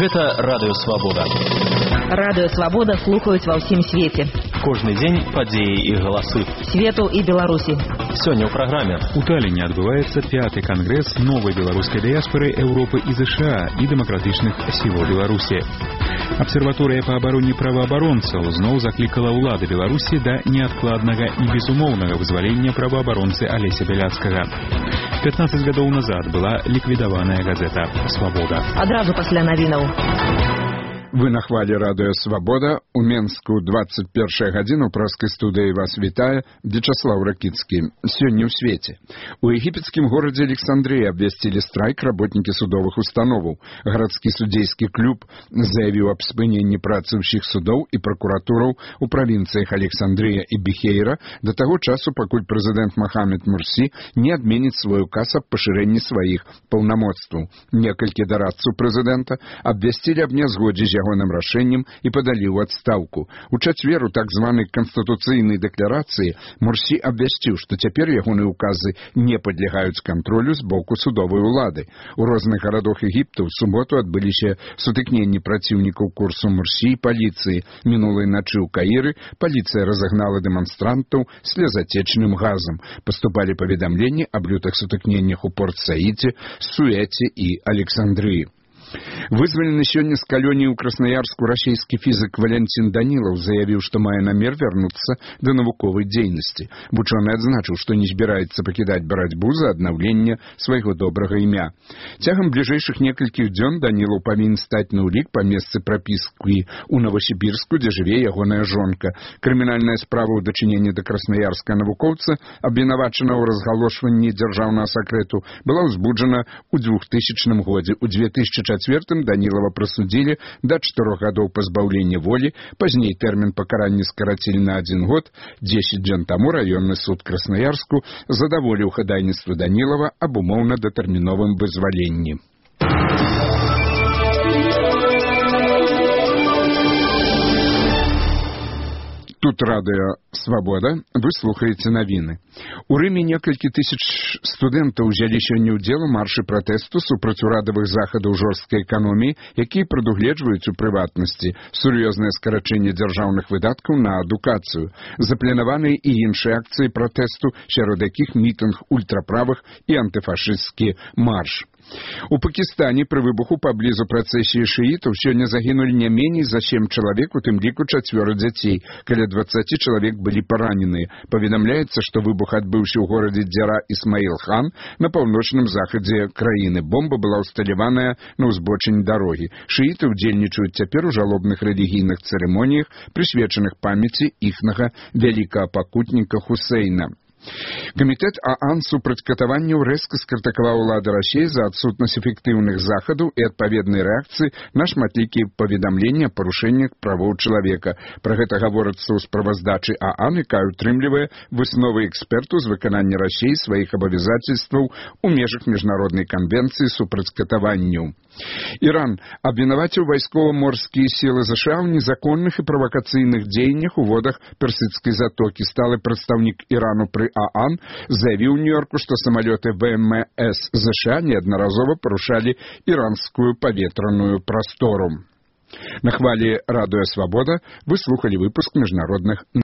Гэта Радыё Свабода. Радыё Свабода слухаюць ва ўсім свеце. Кожны дзень падзеі і галасы. Свету і Беларусі. Сёння ў праграме. У Таллине адбываецца 5-й кангрэс новай беларускай дыяспоры Еўропы і ЗША і дэмакратычных сілаў Беларусі. Абсерваторыя па абароне праваабаронцаў зноў заклікала ўлады Беларусі да неадкладнага і безумоўнага вызвалення праваабаронцы Алеся Бяляцкага. 15 гадоў назад была ліквідаваная газета «Свабода». Адразу пасля навінаў. Вы на хвале Радыё Свабода. У Менску 21 гадзіна ў праскай студыі вас вітае Вячаслаў Ракіцкі. Сёння ў свеце. У егіпецкім горадзе Александрыі абвясцілі страйк работнікі судовых установаў. Гарадскі судзейскі клуб заявіў аб спыненні працы ўсіх судоў і пракуратураў у правінцыях Александрыя і Бехейра да таго часу, пакуль прэзідэнт Мохамед Мурсі не адменіць свой указ аб пашырэнні сваіх паўнамоцтваў. Некалькі дарадцаў прэзідэнта абвясцілі аб нязгодзе з ягоным рашэннем і падалі ў адстаўку. У чацвер у так званай канстытуцыйнай дэкларацыі Мурсі абвясціў, што цяпер ягоныя ўказы не падлягаюць кантролю з боку судовай улады. У розных гарадах Егіпта ў суботу адбыліся сутыкненні праціўнікаў курсу Мурсі і паліцыі. Мінулай начы ў Каіры паліцыя разагнала дэманстрантаў слезатечным газам. Паступалі паведамленні аб лютых сутыкненнях у Порт-Саіде, Суэце і Александрыі. Вызвалены сёння з калоніі ў Краснаярску расійскі фізік Валянцін Данілаў заявіў, што мае намер вярнуцца да навуковай дзейнасці. Вучоны адзначыў, што не збіраецца пакідаць барацьбу за аднаўленне свайго добрага імя. Цягам бліжэйшых некалькіх дзён Данілаў павінен стаць на ўлік па месцы прапіскі ў Новасібірску, дзе жыве ягоная жонка. Крымінальная справа ў дачыненні да краснаярскага навукоўца, абвінавачанага ў разгалошванні дзяржаўнага сакрэту, была ўзбуджана ў 2000 годзе. У 2004 Данілава прасудзілі да 4 гадоў пазбаўлення волі, пазней тэрмін пакарання скарацілі на 1 год. 10 дзён таму раённы суд Краснаярску задаволіў хадайніцтва Данілава аб умоўна-датэрміновым вызваленні. Тут Радыё Свабода, вы слухаеце навіны. У Рыме некалькі тысяч студэнтаў узялі сёння ўдзел у маршы пратэсту супраць урадавых захадаў жорсткай эканоміі, якія прадугледжваюць у прыватнасці сур'ёзнае скарачэнне дзяржаўных выдаткаў на адукацыю. Запланаваныя і іншыя акцыі пратэсту, сярод якіх мітынг ультраправых і антыфашысцкі марш. У Пакістане пры выбуху паблізу працэсіі шыітаў сёння загінулі не меней за 7 чалавек, у тым ліку 4 дзяцей. Каля 20 чалавек былі параненыя. Паведамляецца, што выбух адбыўся ў горадзе Дзяра Ісмаіл-хан на паўночным захадзе краіны. Бомба была ўсталяваная на ўзбочыне дарогі. Шыіты ўдзельнічаюць цяпер у жалобных рэлігійных цырымоніях, прысвечаных памяці іхнага вялікага пакутніка Хусейна. Камітэт ААН супраць катаванняў рэзка скрытыкаваў улады Расіі за адсутнасць эфектыўных захадаў і адпаведнай рэакцыі на шматлікія паведамленні аб парушэннях правоў чалавека. Пра гэта гаворыцца ў справаздачы ААН, якая ўтрымлівае высновы эксперту з выканання Расіі сваіх абавязацельстваў у межах міжнароднай канвенцыі супраць катаванняў. Іран абвінаваціў вайскова-морскія сілы ЗША ў незаконных і правакацыйных дзеяннях у водах Персідскай затокі. Сталы прадстаўнік Ірану пры ААН заявіў у Нью-Йорку, што самалёты ВМС ЗША неаднаразова парушалі іранскую паветраную прастору. На хвале Радыё Свабода вы слухалі выпуск міжнародных